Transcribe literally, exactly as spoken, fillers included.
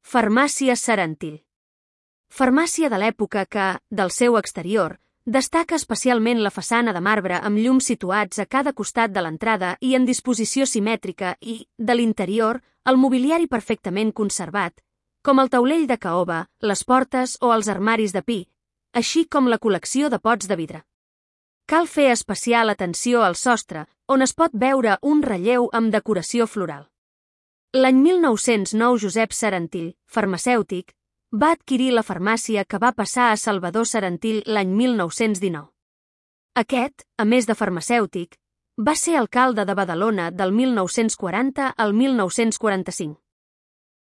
Farmàcia Serentil. Farmàcia de l'època que, del seu exterior, destaca especialment la façana de marbre amb llums situats a cada costat de l'entrada i en disposició simètrica i, de l'interior, el mobiliari perfectament conservat, com el taulell de caoba, les portes o els armaris de pi, així com la col·lecció de pots de vidre. Cal fer especial atenció al sostre, on es pot veure un relleu amb decoració floral. L'any mil nou-cents nou Josep Serentil, farmacèutic, va adquirir la farmàcia que va passar a Salvador Serentil l'any mil nou-cents dinou. Aquest, a més de farmacèutic, va ser alcalde de Badalona del mil nou-cents quaranta al mil nou-cents quaranta-cinc.